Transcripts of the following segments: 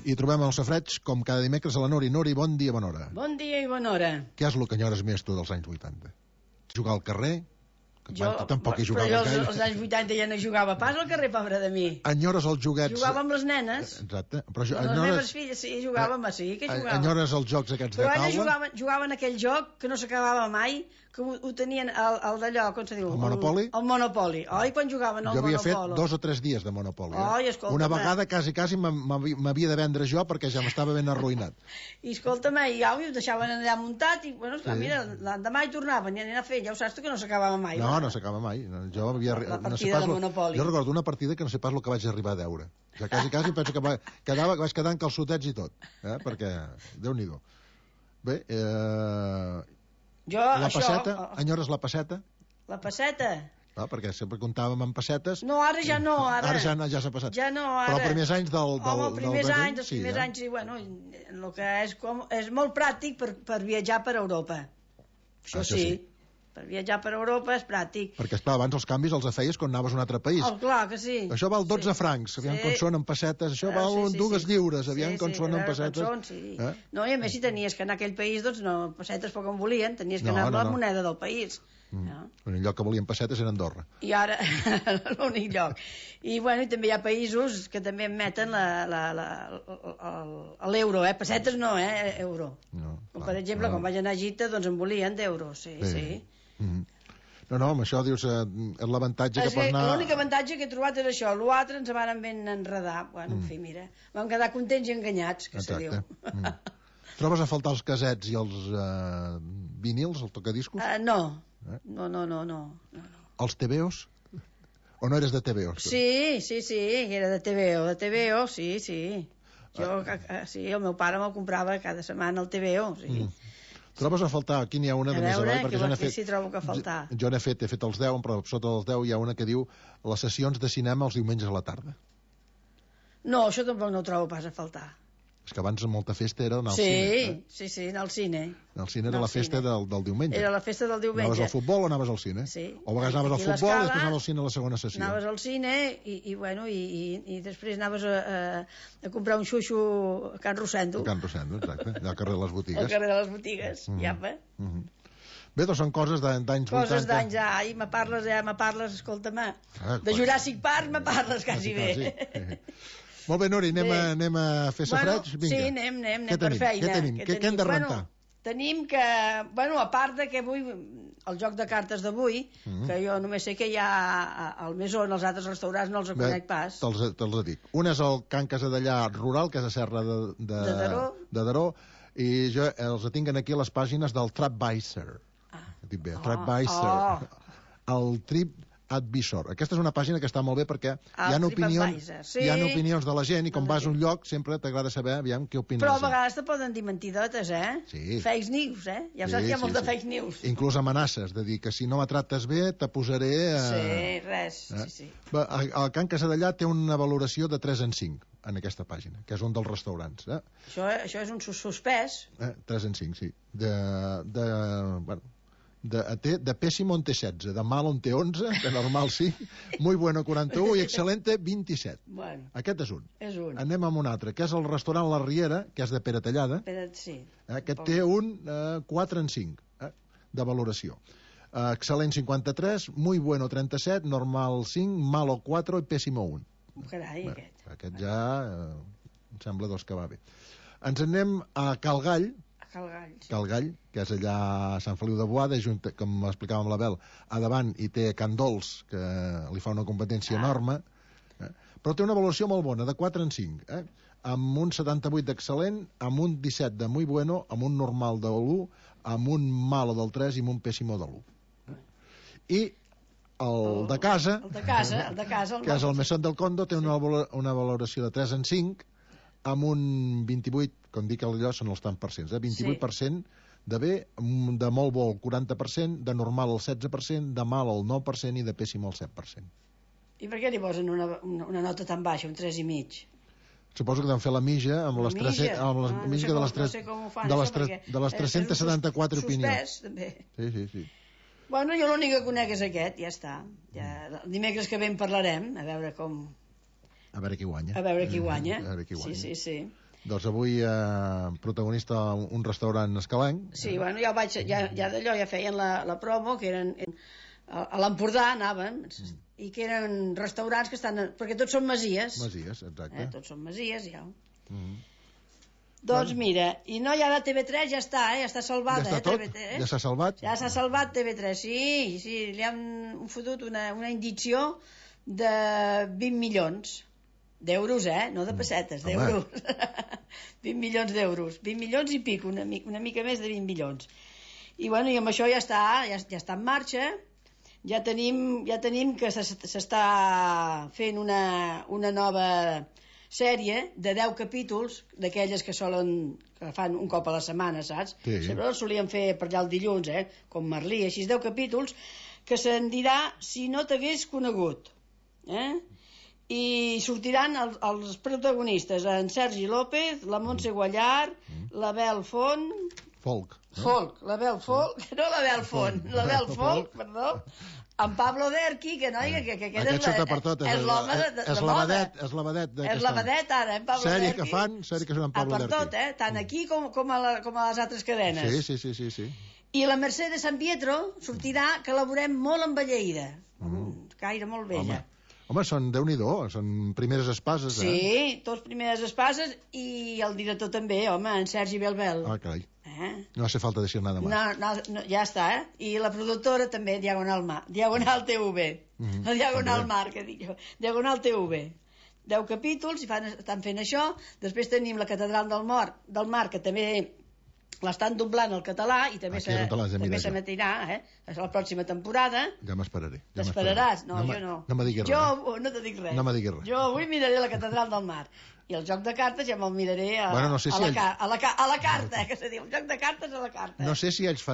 I trobem el Safareig, com cada dimecres, a la Nori. Nori, bon dia, bona hora. Bon dia i bona hora. Què és el que enyores més tu dels anys 80? Jugar al carrer? Jo tampoc hi jugava gaire. Als anys 80 ja no jugava pas al carrer, pobre de mi. Enyores els joguets... Jugava amb les nenes. Exacte. Però les meves filles, sí, jugàvem, sí, que jugàvem. Enyores els jocs aquests de taula? Però jugaven aquell joc que no s'acabava mai, que ho tenien el d'allò, com se diu? El Monopoli? El Monopoli. Oi, quan jugaven al Monopoli? Jo havia fet 2 o 3 dies de Monopoli. Oi, escolta'm. Una vegada quasi m'havia de vendre jo perquè ja m'estava ben arruïnat. I escolta'm, i au, ho deixaven allà muntat i, bueno, esclar, mira, l'endemà hi tornaven i anaven a fer, ja ho saps tu que no s'acabava mai. No s'acaba mai. Jo havia... La partida de Monopoli. Jo recordo una partida que no sé pas el que vaig arribar a deure. O sigui, quasi penso que vaig quedar en calçotets i tot, perquè, Déu-n'hi-do. Bé, la passeta, enyores la passeta? La passeta? Perquè sempre comptàvem amb pessetes. No, ara ja no, ara ja s'ha passat. Ja no, ara. Però els primers anys els primers anys, sí, bueno, el que és molt pràctic per viatjar per Europa. Això sí. Per viatjar per Europa és pràctic. Perquè, esclar, abans els canvis els feies quan anaves a un altre país. Clar que sí. Això val 12 francs, aviam com són en pessetes. Això val 2 lliures, aviam com són en pessetes. No, i a més si tenies que anar a aquell país, doncs no, pessetes poc en volien, tenies que anar amb la moneda del país. L'únic lloc que volien pessetes era Andorra. I ara, l'únic lloc. I bueno, i també hi ha països que també emeten l'euro, pessetes no, euro. Com per exemple, quan vaig anar a Egipte, doncs en volien d'euros, sí. No, amb això dius l'avantatge que pots anar... L'únic avantatge que he trobat és això, l'altre ens van ben enredar. Bueno, en fi, mira, vam quedar contents i enganyats, que se diu. Trobes a faltar els casets i els vinils, el tocadiscos? No. Els TVOs? O no eres de TVOs? Sí, era de TVO, sí. El meu pare me'l comprava cada setmana el TVO, sí. Trobes a faltar, aquí n'hi ha una de més avall, perquè jo n'he fet els 10, però sota els 10 hi ha una que diu les sessions de cinema els diumenges a la tarda. No, això tampoc no ho trobo pas a faltar. És que abans molta festa era anar al cine. Sí, anar al cine. El cine era la festa del diumenge. Era la festa del diumenge. Anaves al futbol o anaves al cine? Sí. O a vegades anaves al futbol i després anaves al cine a la segona sessió. Anaves al cine i després anaves a comprar un xuxo a Can Rosendo. A Can Rosendo, exacte. Allà al carrer de les botigues. Al carrer de les botigues, Bé, doncs són coses d'anys 80. Coses d'anys, me parles, escolta-me. De Jurassic Park me parles quasi bé. Molt bé, Nori, anem a fer safareig? Sí, anem per feina. Què hem de rentar? Tenim que, a part de que avui, el joc de cartes d'avui, que jo només sé que hi ha al Mesón, els altres restaurants no els conec pas. Te'ls dic. Un és el Can Casadellà Rural, que és a Serra de Daró, i jo els tinc aquí a les pàgines del TripAdvisor. Dic bé, TripAdvisor. El TripAdvisor. Aquesta és una pàgina que està molt bé perquè hi ha opinions de la gent i com vas a un lloc sempre t'agrada saber aviam què opines. Però a vegades te poden dir mentidotes, Sí. Fake news, Ja saps que hi ha molt de fake news. Inclús amenaces de dir que si no me trates bé te posaré... Sí, res, sí. El Can Casadellà té una valoració de 3 en 5 en aquesta pàgina, que és un dels restaurants. Això és un suspès. 3 en 5, sí. De pésimo en té 16, de mal en té 11, de normal sí, muy bueno 41 i excelente 27. Aquest és un. Anem amb un altre, que és el restaurant La Riera, que és de Pere Tallada. Aquest té un 4 en 5 de valoració. Excel·lent 53, muy bueno 37, normal 5, malo 4 i pésimo 1. Carai, aquest ja em sembla que va bé. Ens anem a Cal Gall, que és allà a Sant Feliu de Boada, com explicàvem la Bel, a davant hi té Can Dols, que li fa una competència enorme, però té una valoració molt bona, de 4 en 5, amb un 78 d'excel·lent, amb un 17 de muy bueno, amb un normal de l'1, amb un malo del 3 i amb un pésimo de l'1. I el de casa, que és el Mesón del Condo, té una valoració de 3 en 5, amb un 28, com dic allò són els tant percents, 28% de bé, de molt bo el 40%, de normal el 16%, de mal el 9% i de pèssim el 7%. I per què li posen una nota tan baixa, un 3,5? Suposo que deuen fer la mitja amb les de les 374 opinions. Sí. Bueno, jo l'únic que conec és aquest, ja està. El dimecres que ve en parlarem, a veure qui guanya. Sí. Doncs avui protagonista un restaurant escalenc. Sí, bueno, ja d'allò ja feien la promo, que eren a l'Empordà anàvem, i que eren restaurants que estan... perquè tots són masies. Masies, exacte. Tots són masies, ja. Doncs mira, i no, ja la TV3 ja està, ja està salvada. Ja està tot? Ja s'ha salvat? Ja s'ha salvat TV3, sí, li han fotut una indicció de 20 milions d'euros, no de pessetes, d'euros. 20 milions d'euros, 20 milions i pic, una mica més de 20 milions. I bueno, i amb això ja està en marxa. Ja tenim que s'està fent una nova sèrie de 10 capítols, d'aquelles que fan un cop a la setmana, saps? Sí. Sempre els solien fer per allà el dilluns, com Merlí, així 10 capítols, que se'n dirà Si no t'hagués conegut. I sortiran els protagonistes, en Sergi López, la Montse Guallar, l'Abel Font... Folk, l'Abel Folk, no l'Abel Font, l'Abel Folk, perdó, en Pablo Derqui, que noia, que aquest sota per tot, és la vedet és la vedet ara, en Pablo Derqui. Sèrie que són en Pablo Derqui. Per tot, tant aquí com a les altres cadenes. Sí. I la Mercè de San Pietro sortirà, que la veurem molt envelleïda, gaire molt vella. Home, són Déu-n'hi-do, són primeres espases, Sí, tots primeres espases, i el director també, home, en Sergi Belbel. Ah, carai. No hace falta decir nada más. No, ja està, I la productora també, Diagonal TV. La Diagonal Mar, que dic jo. Diagonal TV. 10 capítols, estan fent això. Després tenim la Catedral del Mar, que també l'estan doblant al català, i també s'emetirà a la pròxima temporada. Ja m'esperaré. T'esperaràs? No, jo no. No me diguis res. Jo no te dic res. No me diguis res. Jo avui miraré la Catedral del Mar. I el joc de cartes ja me'l miraré a la carta, que se diu. El joc de cartes a la carta. No sé si ells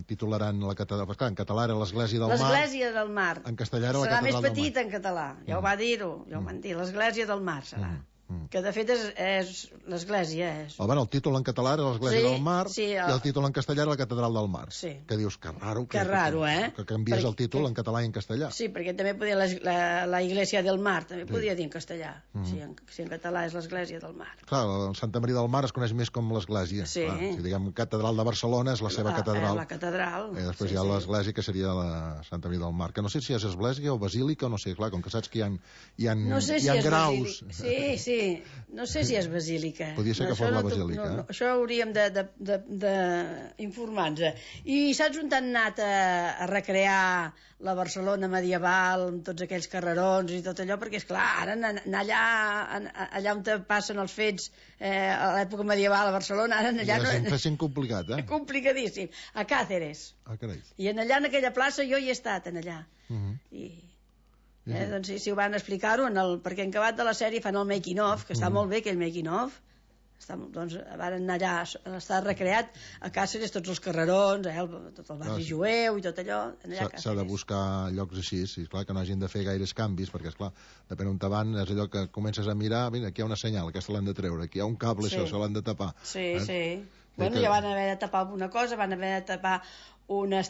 titularan la catedral. Perquè en català era l'Església del Mar. L'Església del Mar. En castellà era la Catedral del Mar. Serà més petita en català. Ja ho va dir-ho. Ja ho van dir. L'Església del Mar serà. Que de fet és l'església. El títol en català era l'Església del Mar, i el títol en castellà era la Catedral del Mar. Que dius, que raro. Que raro, que canvies el títol en català i en castellà. Sí, perquè també podia la Iglesia del Mar, també podia dir en castellà. Si en català és l'Església del Mar. Clar, el Santa Maria del Mar es coneix més com l'Església. Sí. Si diguem Catedral de Barcelona és la seva catedral. La catedral. I després hi ha l'Església, que seria la Santa Maria del Mar, que no sé si és església o basílica, no sé, clar, com que saps que hi ha graus. Sí, no sé si és basílica. Podria ser que fos la basílica. Això hauríem d'informar-nos. I saps on han anat a recrear la Barcelona medieval, amb tots aquells carrerons i tot allò? Perquè, esclar, ara anar allà on passen els fets a l'època medieval a Barcelona, ara allà no... Està sent complicat, Complicadíssim. A Càceres. Carai. I allà, en aquella plaça, jo hi he estat, allà. Doncs si ho van explicar-ho, perquè en acabat de la sèrie fan el making of, que està molt bé aquell making of. Doncs van anar allà, està recreat a Càceres, tots els carrerons, tot el barri jueu i tot allò. S'ha de buscar llocs així, clar, que no hagin de fer gaires canvis, perquè esclar, depèn on te van, és allò que comences a mirar, mira, aquí hi ha una senyal, aquesta l'han de treure, aquí hi ha un cable, això se l'han de tapar. Sí. Bueno, ja van haver de tapar alguna cosa, van haver de tapar una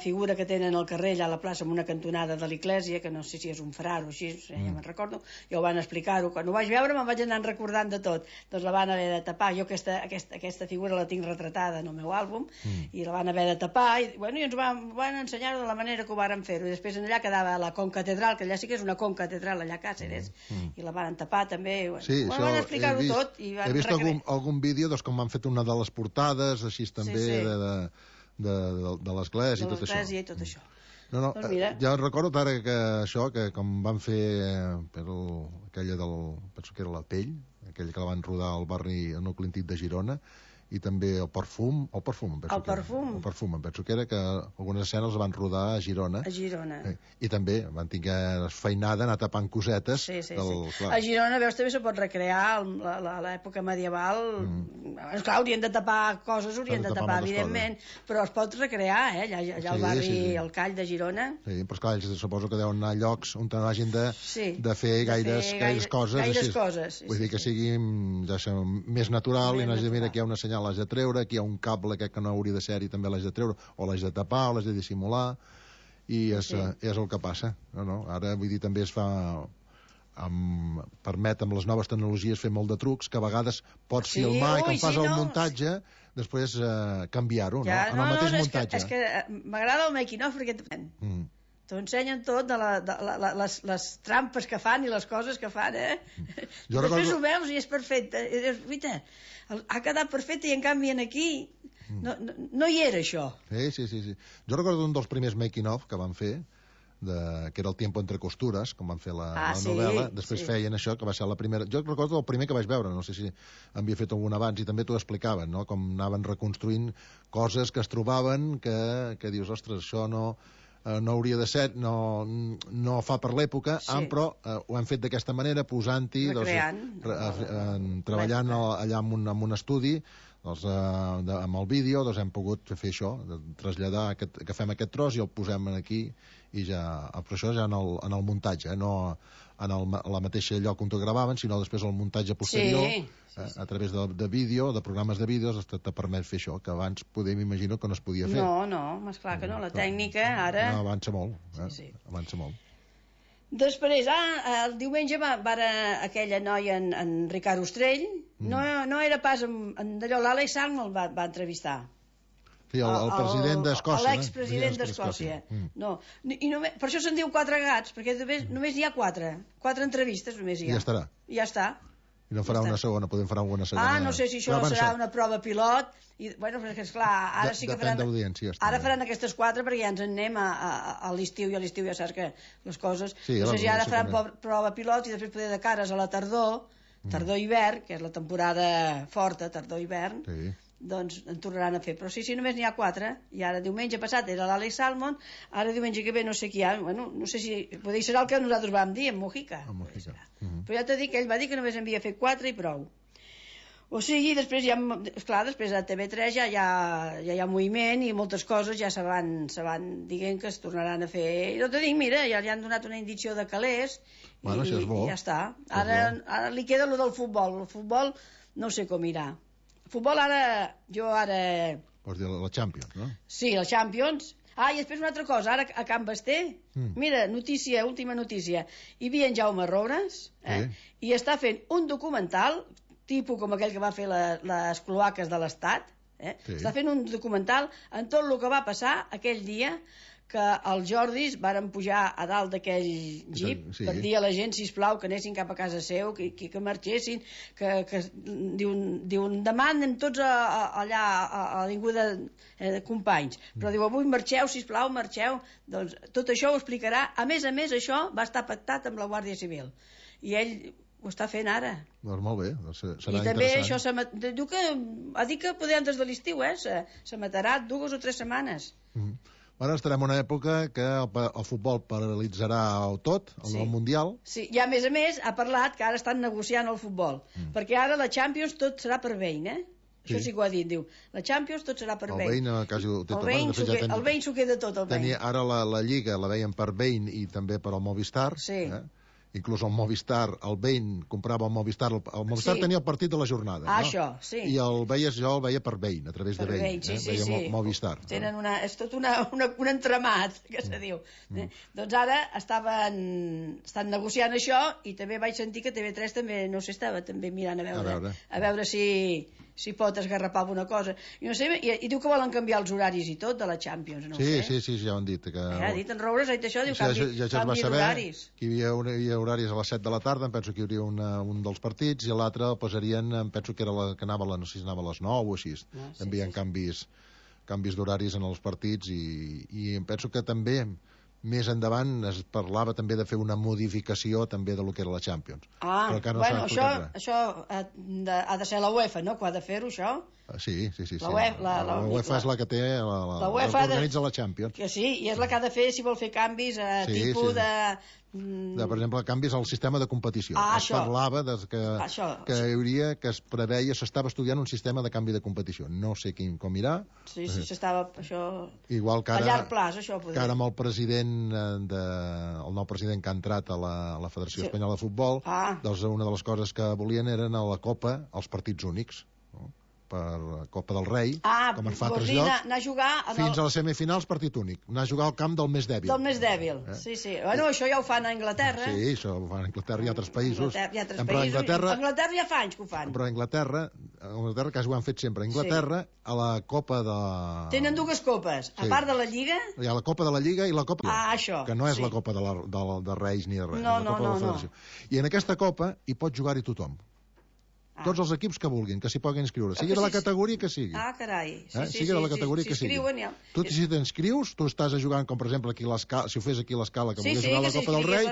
figura que tenen al carrer allà a la plaça amb una cantonada de l'església, que no sé si és un frar o així, ja me'n recordo, ja ho van explicar-ho, quan ho vaig veure me'n vaig anar recordant de tot, doncs la van haver de tapar. Jo aquesta figura la tinc retratada en el meu àlbum, i la van haver de tapar, i ens van ensenyar de la manera que ho varen fer-ho, i després allà quedava la concatedral, que allà sí que és una concatedral allà a Càceres, i la van tapar també, van explicar-ho tot. He vist algun vídeo com han fet una de les portades, així també, de l'església i tot això. Ja recordo ara que com van fer aquella penso que era La Pell, aquella que la van rodar al barri nucli antic de Girona, i també el perfum, em penso que era, que algunes escenes les van rodar a Girona. I també van tenir feinada, anar tapant cosetes. A Girona, veus, també se pot recrear l'època medieval. Clar, haurien de tapar coses, evidentment, però es pot recrear, allà al barri El Call de Girona. Sí, però esclar, ells suposo que deuen anar a llocs on hagin de fer gaires coses. Vull dir que sigui més natural i no hagi de mirar que hi ha una senyal, l'has de treure, aquí hi ha un cable que no hauria de ser i també l'has de treure, o l'has de tapar o l'has de dissimular, i és el que passa. Ara, vull dir, també es fa permet amb les noves tecnologies fer molt de trucs, que a vegades pots filmar i quan fas el muntatge després canviar-ho, no? En el mateix muntatge. És que m'agrada el making of perquè t'ho ensenyen tot de les trampes que fan i les coses que fan, Després ho veus i és perfecte. I dius, guaita, ha quedat perfecte i en canvi aquí no hi era això. Sí. Jo recordo un dels primers making of que van fer, que era el Tiempo entre costures, com van fer la novel·la, després feien això, que va ser la primera... Jo recordo el primer que vaig veure, no sé si havia fet algun abans, i també t'ho explicaven, no?, com anaven reconstruint coses que es trobaven, que dius, ostres, això no hauria de ser, no fa per l'època, però ho hem fet d'aquesta manera, posant-hi, treballant allà en un estudi, amb el vídeo, hem pogut fer això, traslladar, que fem aquest tros i el posem aquí, i ja, però això ja en el muntatge, no en la mateixa lloc on ho gravaven, sinó després el muntatge posterior, a través de vídeo, de programes de vídeos, te permet fer això, que abans m'imagino que no es podia fer. No, esclar que no, la tècnica ara... No, avança molt, avança molt. Després, el diumenge aquella noia, en Ricard Ostrell, no era pas d'allò, l'Àlex Salmond el va entrevistar. Sí, el president d'Escòcia. L'expresident d'Escòcia. No. Per això se'n diu Quatre Gats, perquè només hi ha quatre entrevistes, només hi ha. I ja estarà. I ja està. I no farà una segona, podem fer alguna segona. No sé si això serà una prova pilot. Bueno, perquè esclar, ara sí que faran... Depèn d'audiència. Ara faran aquestes 4 perquè ja ens en anem a l'estiu, i a l'estiu ja saps que les coses... No sé si ara faran prova pilot i després poder de cares a la tardor-hivern, que és la temporada forta, tardor-hivern, doncs en tornaran a fer. Però sí, només n'hi ha 4, i ara diumenge passat era l'Àlex Salmond, ara diumenge que ve no sé qui hi ha, bueno, no sé si... Potser serà el que nosaltres vam dir, en Mojica. Però ja t'he dit que ell va dir que només en havia fet 4 i prou. O sigui, després ja, esclar, després a TV3 ja hi ha moviment i moltes coses ja se van dient que es tornaran a fer. I t'ho dic, mira, ja li han donat una indicació de calés i ja està. Ara li queda lo del futbol. El futbol no sé com irà. Futbol Vols dir la Champions, no? Sí, la Champions. I després una altra cosa, ara a Can Basté, mira, última notícia, hi havia en Jaume Roures, i està fent un documental, tipus com aquell que va fer les cloaques de l'Estat, està fent un documental en tot el que va passar aquell dia que els Jordis varen pujar a dalt d'aquell jeep per dir a la gent, sisplau, que anessin cap a casa seu, que marxessin, que diuen, demà anem tots allà a l'avinguda Companys, però diu, avui marxeu, sisplau, marxeu. Doncs tot això ho explicarà. A més, això va estar pactat amb la Guàrdia Civil. I ell ho està fent ara. Doncs molt bé, serà interessant. I també això diu que ha dit que poder antes de l'estiu, se matarà 2 o 3 setmanes. Ara estarem en una època que el futbol paralitzarà tot, el Mundial. Sí, i a més, ha parlat que ara estan negociant el futbol, perquè ara la Champions tot serà per Bein, Això sí que ho ha dit, diu. La Champions tot serà per Bein. El Bein s'ho queda tot, el Bein. Ara la Lliga la veien per Bein i també per al Movistar. Sí. Inclús el Movistar, el Bein comprava el Movistar, el Movistar tenia el partit de la jornada, no? Això, sí. I jo el veia per Bein, a través de Bein, veia Movistar. És tot un entramat, que se diu. Doncs ara estan negociant això, i també vaig sentir que TV3 també, no sé, estava també mirant a veure si pot esgarrapar alguna cosa. I no sé, i diu que volen canviar els horaris i tot de la Champions, no sé. Sí, ja ho han dit. Ha dit en Roures, ha dit això, diu canvi d'horaris. Que hi havia horaris a les 7 de la tarda, em penso que hi hauria un dels partits, i l'altre el posarien, em penso que era que anava, no sé si anava a les 9 o així. També hi ha canvis d'horaris en els partits, i em penso que també més endavant es parlava també de fer una modificació també de lo que era la Champions. Això ha de ser la UEFA, no?, que ha de fer-ho, això. Sí. La UEFA és la que té, la organitza la Champions. Que sí, i és la que ha de fer, si vol fer canvis, tipus de... Per exemple, canvis al sistema de competició. Es parlava que hi hauria, que es preveia, s'estava estudiant un sistema de canvi de competició. No sé com irà. Sí, s'estava, això... Igual que ara, a llarg plaç, això. Que ara amb el president, el nou president que ha entrat a la Federació Espanyola de Futbol, doncs una de les coses que volien eren a la Copa els partits únics. Copa del Rei, com es fa a altres llocs, anar a jugar fins a les semifinals partit únic, anar a jugar al camp del més dèbil. Del més dèbil, sí. Bueno, això ja ho fan a Anglaterra. Sí, això ho fan a Anglaterra i altres països. Però a Anglaterra ja fa anys que ho fan. Però a Anglaterra, quasi ho han fet sempre, a Anglaterra, a la Copa de... Tenen dues copes, a part de la Lliga... Hi ha la Copa de la Lliga i la Copa... això. Que no és la Copa de Reis ni de res, no, és la Copa de la Federació. I en aquesta Copa hi pot jugar-hi tothom. Tots els equips que vulguin, que s'hi puguin inscriure. Sigui de la categoria que sigui. Carai. Sigui de la categoria que sigui. Tu, si t'inscrius, tu estàs jugant, com per exemple aquí l'Escala, si ho fes aquí l'Escala, que volgués jugar a la Copa del Rei,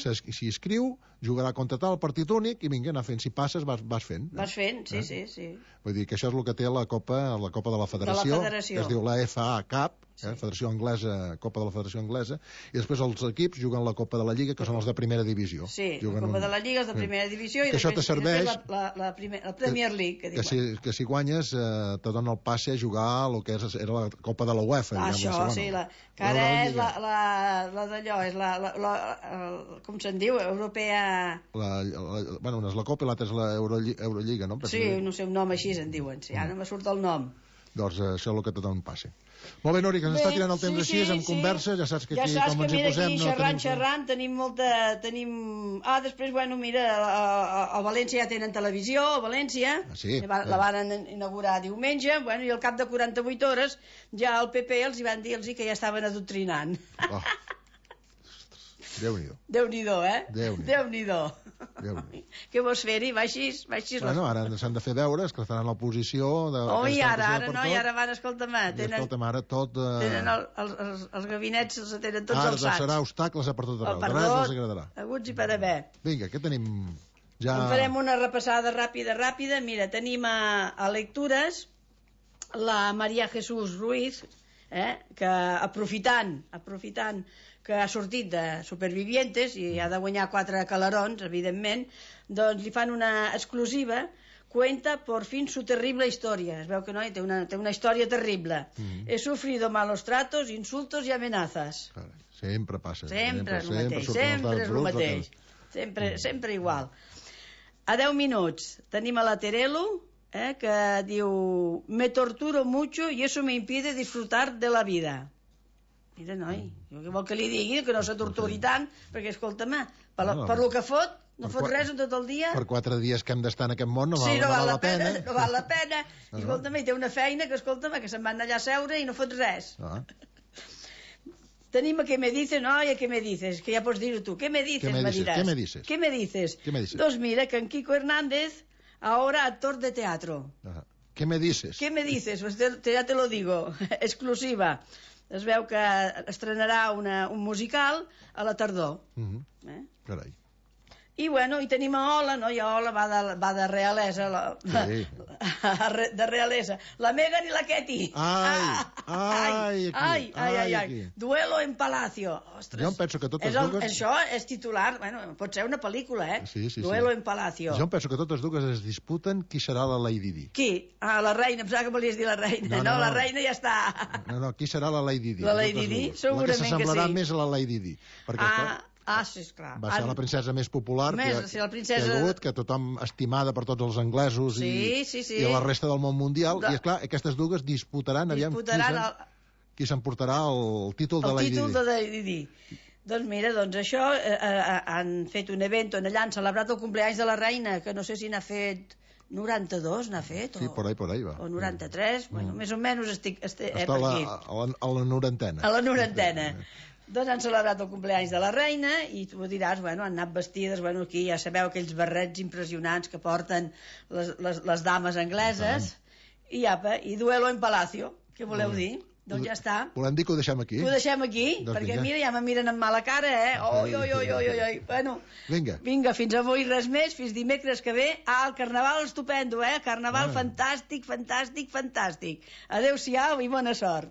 s'hi inscriu, jugarà contra tal, partit únic, i vinga, anar fent. Si passes, vas fent. Vas fent, sí. Vull dir que això és el que té la Copa de la Federació, que es diu la FA Cup, Federació Anglesa, Copa de la Federació Anglesa, i després els equips juguen la Copa de la Lliga, que són els de primera divisió. Sí, la Copa de la Lliga és de primera divisió, i després la Premier League, que si guanyes te dona el passe a jugar el que era la Copa de la UEFA. Això, sí, que ara és la d'allò, és la com se'n diu, europea... Bueno, una és la Copa i l'altra és l'Eurolliga, no? Sí, no sé, un nom així se'n diuen, ara me surt el nom. Doncs això és el que te dona un passe. Molt bé, Nori, que ens està tirant el temps així, amb conversa, ja saps que aquí, com ens hi posem... Ja saps que xerrant, tenim molta... després, bueno, mira, a València ja tenen televisió, a València, la van inaugurar diumenge, bueno, i al cap de 48 hores ja el PP els hi van dir que ja estaven adoctrinant. Déu-n'hi-do. Déu-n'hi-do, Déu-n'hi-do. Què vols fer-hi? Va així. Bueno, ara s'han de fer deures, que estaran a l'oposició... ara van, escolta'm, ara tot... Tenen els gabinets, els tenen tots alçats. Ara serà obstacles per tot arreu, res els agradarà. Aguts i per haver. Vinga, què tenim ja? En farem una repassada ràpida. Mira, tenim a lectures la María Jesús Ruiz, que aprofitant que ha sortit de Supervivientes i ha de guanyar 4 calarons, evidentment, doncs li fan una exclusiva, cuenta por fin su terrible historia. Es veu que té una història terrible. He sufrido malos tratos, insultos y amenazas. Sempre passa. Sempre és el mateix. Sempre igual. A 10 minuts tenim a la Terelu, que diu: me torturo mucho y eso me impide disfrutar de la vida. Mira, noi, jo vol que li digui que no se torturi tant, perquè, escolta'm, per lo que fot, no fot res en tot el dia. Per 4 dies que hem d'estar en aquest món no val la pena. No val la pena. I, escolta'm, té una feina que, escolta'm, que se'n van allà a seure i no fot res. Tenim a ¿Qué me dices? No, i a ¿Qué me dices? Que ja pots dir-ho tu. ¿Qué me dices? Me diràs. ¿Qué me dices? Doncs mira, que en Kiko Hernández, ahora actor de teatro. ¿Qué me dices? ¿Qué me dices? Pues ya te lo digo. Exclusiva. Es veu que estrenarà un musical a la tardor. Carai. I, bueno, i tenim a Ola, no? I a Ola va de realesa, de realesa. La Megan i la Ketty. Ai. Duelo en Palacio. Ostres. Jo em penso que totes dues... Això és titular, bueno, pot ser una pel·lícula, Sí. Duelo en Palacio. Jo em penso que totes dues es disputen qui serà la Lady Di. Qui? La reina, em sembla que volies dir la reina. No, la reina ja està. No, qui serà la Lady Di? La Lady Di? Segurament que sí. La que s'assemblarà més a la Lady Di. Perquè sí, esclar. Va ser la princesa més popular que hi ha hagut, que tothom estimada per tots els anglesos i la resta del món mundial. I, esclar, aquestes dues disputaran qui s'emportarà el títol de Lady Di. El títol de Lady Di. Doncs mira, això han fet un event on allà han celebrat el cumpleaños de la reina, que no sé si n'ha fet 92, n'ha fet? Sí, por ahí va. O 93, bueno, més o menys estic per aquí. A la norantena. A la norantena. Doncs han celebrat el cumpleaños de la reina i tu diràs, bueno, han anat vestides, bueno, aquí ja sabeu aquells barrets impressionants que porten les dames angleses i duelo en palacio, què voleu dir? Doncs ja està. Volem dir que ho deixem aquí? Ho deixem aquí, perquè mira, ja me miren amb mala cara, Oi. Bueno, vinga, fins avui res més, fins dimecres que ve. El carnaval estupendo, Carnaval fantàstic. Adéu-siau i bona sort.